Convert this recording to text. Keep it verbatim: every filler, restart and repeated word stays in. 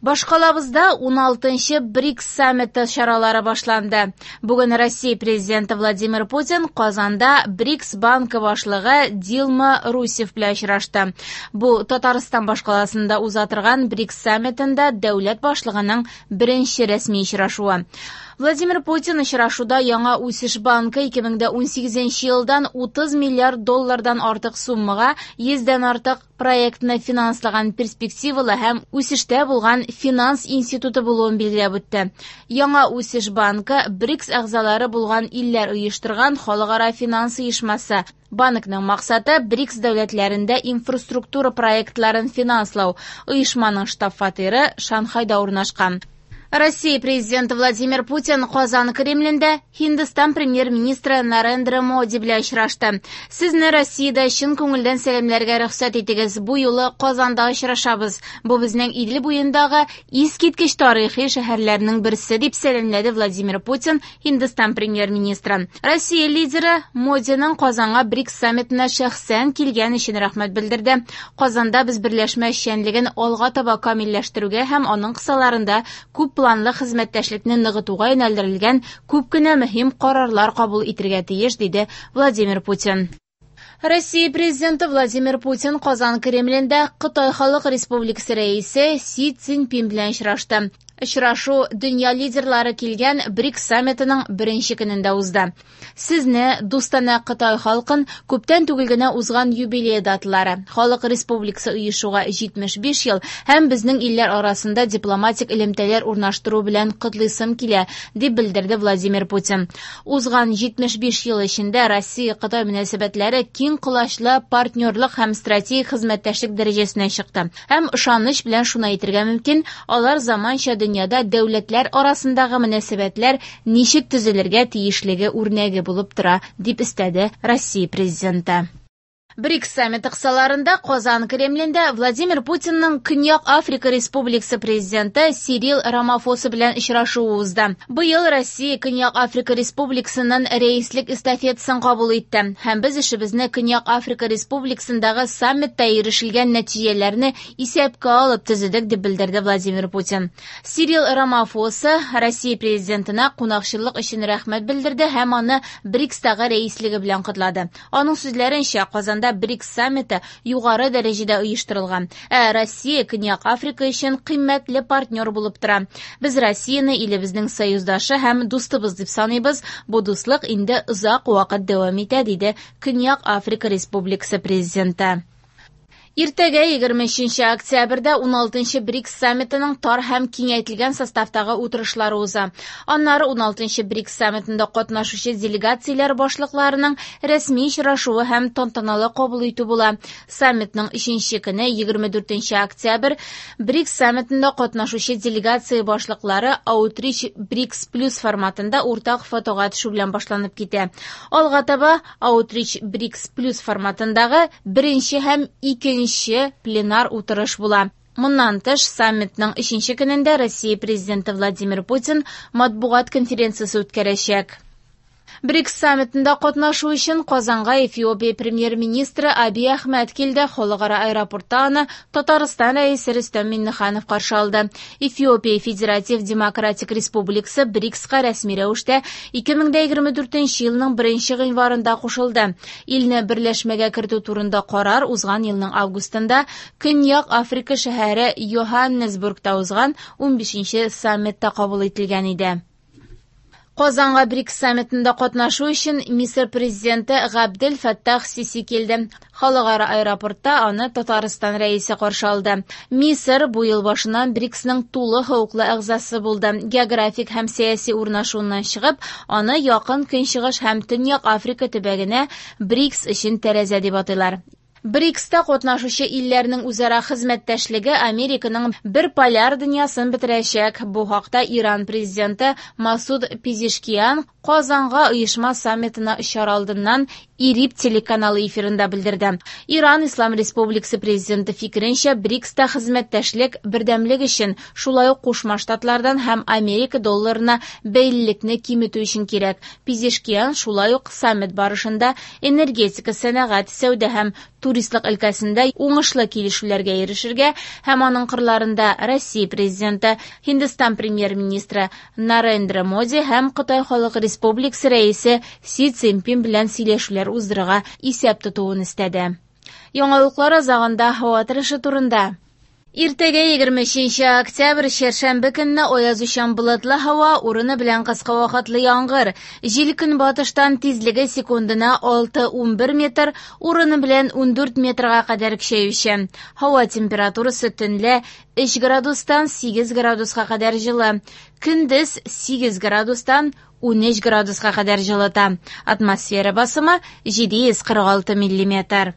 Башкалабызда уналтынчы БРИКС саммиты чаралары башланды. Бүген Россия президенты Владимир Путин Казанда БРИКС банкы башлыгы Дилма Русеф белән очрашты. Бу Татарстан башкаласында уза торган БРИКС саммитында дәүләт башлыгының беренче рәсми очрашуы. Владимир Путин очрашуда яңа үсеш банкы ике мең дә унсигезенче елдан утыз миллиард доллардан артык суммага йөздән артык проектны финанслаган перспективалы һәм үсештә булган финанс институты булуын билгеләп үтте. Яңа үсеш банкы БРИКС әгъзалары булган илләр оештырган халыкара финанс оешмасы. Банкның максаты БРИКС дәүләтләрендә инфраструктура проектларын финанслау. Оешманың штаб-фатиры Шанхайда урнашкан. Россия президенты Владимир Путин Казан Кремлендә Һиндстан премьер-министры Нарендра Моди белән очрашты. Сезне Россиядә чын күңелдән сәламләргә рөхсәт итегез. Бу юлы Казанда очрашабыз. Бу безнең Идел буендагы искиткеч тарихи шәһәрләрнең берсе, дип сәламләде Владимир Путин Һиндстан премьер-министры. Россия лидеры Модиның Казанга БРИКС саммитына шәхсән килгән өчен рәхмәт белдерде. Казанда без берләшмә эшчәнлеген алга таба камилләштерүгә һәм аның кысаларында күп планлы хезмәттәшлекне ныгытуга юнәлдерелгән күп кенә мөһим карарлар кабул итәргә тиеш, диде Владимир Путин. Россия президенты Владимир Путин Казан Кремлендә Кытай Халык Республикасы рәисе Си Цзиньпин белән очрашты. Очрашу дөнья лидерлары килгән БРИКС саммитының беренче көнендә узды. Сезне, дустанә Кытай халкын, күптән түгел генә узган юбилей даталары, Халык Республикасы оешуга җитмеш биш ел һәм безнең илләр арасында дипломатик элемтәләр урнаштыру белән котлыйсым килә, дип белдерде Владимир Путин. Узган җитмеш биш ел эчендә Россия-Кытай мөнәсәбәтләре киң колачлы партнерлык һәм стратегик хезмәттәшлек дәрәҗәсенә чыкты. Һәм ышаныч белән шуны әйтергә мөмкин, алар заманча дөньяда дәүләтләр арасындагы мөнәсәбәтләр ничек төзелергә тиешлеге үрнәге булып тора, дип өстәде Россия президенты. БРИКС саммиты кысаларында Казан Кремлендә Владимир Путинның Көньяк Африка Республикасы президенты Сирил Рамафоса белән очрашуы узды. Быел Россия Көньяк Африка Республикасының рәислек эстафетасын кабул итте. Һәм без эшебезне Көньяк Африка Республикасындагы саммитта ирешелгән нәтиҗәләрне исәпкә алып төзедек, дип белдерде Владимир Путин. Сирил Рамафоса Россия президентына кунакчыллык өчен рәхмәт белдерде һәм аны БРИКСтагы рәислеге белән котлады. Аның сүзләренчә, Казанда БРИКС саммиты югары дәрәҗәдә оештырылган. Ә Россия Көньяк Африка өчен кыйммәтле партнер булып тора. Без Россияне илебезнең союздашы һәм дустыбыз дип саныйбыз. Бу дуслык инде озак вакыт дәвам итә, диде Көньяк Африка Республикасы президенты. Иртәгә егерме өченче октябрьдә уналтынчы БРИКС саммитының тар һәм киңәйтелгән составтагы утырышлары уза. Аннары уналтынчы БРИКС саммитында катнашучы делегацияләр башлыкларының рәсми очрашуы һәм тантаналы кабул итү була. Саммитның өченче көне егерме дүртенче октябрь БРИКС саммитында катнашучы делегация башлыклары Outreach БРИКС Плюс форматында уртак фотога төшү белән башланып китә. Алга таба Outreach БРИКС Плюс форматындагы беренче һәм икенче пленар утырыш була. Моннан тыш, саммитның өченче көнендә Россия президенты Владимир Путин матбугат конференциясе үткәрәчәк. БРИКС саммитында катнашу өчен Казанга Эфиопия премьер-министры Абий Әхмәт килде. Халыкара аэропортта аны Татарстан рәисе Рөстәм Миңнеханов каршы алды. Эфиопия Федератив Демократик Республикасы БРИКСка рәсми рәвештә ике мең дә егерме дүртенче елның беренче гыйнварында кушылды. Илне берләшмәгә кертү турында карар узган елның августында Көньяк Африка шәһәре Йоханнесбургта узган унбишенче саммитта кабул ителгән иде. Казанга БРИКС саммитында катнашу өчен Мисыр президенты Габдел Фәттах Сиси килде. Халыкара аэропортта аны Татарстан рәисе каршы алды. Мисыр бу ел башыннан БРИКСның тулы хокуклы әгъзасы булды. Географик һәм сәяси урнашуыннан чыгып, аны Якын Көнчыгыш һәм Төньяк Африка төбәгенә БРИКС өчен тәрәзә дип атыйлар. БРИКСта катнашучы илләрнең үзара хезмәттәшлеге Американың бер поляр дөньясын бетерәчәк. Бу хакта Иран президенты Масуд Пезешкиан Казанга оешма саммитына очар алдыннан ИРИБ телеканалы эфирында белдерде. Иран Ислам Республикасы президенты фикеренчә, БРИКСта хезмәттәшлек бердәмлек өчен, шулай ук Кушма Штатлардан һәм Америка долларына бәйлелекне киметү өчен кирәк. Пезешкиан шулай ук саммит барышында энергетика, сәнәгать, сәүдә һәм Туристлык өлкәсендә уңышлы килешүләргә ирешергә һәм аның кырларында Россия Президенты, Һиндстан премьер-министры Нарендра Моди һәм Кытай Халык Республикасы рәисе Си Цзиньпин белән сөйләшүләр уздырырга исәп тотуын өстәде. Яңалыклар азагында һава торышы турында. Иртәгә егерме өченче октябрь чәршәмбе көнне аязучан болытлы һава, урыны белән кыска вакытлы яңгыр. Җил көнбатыштан тизлеге секундына алты-унбер метр, урыны белән ундүрт метрга кадәр көчәючән. Һава температурасы төнлә өч градустан сигез градуска кадәр җылы. Көндез сигез градустан унөч градуска кадәр җылыта. Атмосфера басымы җиде йөз кырык алты миллиметр.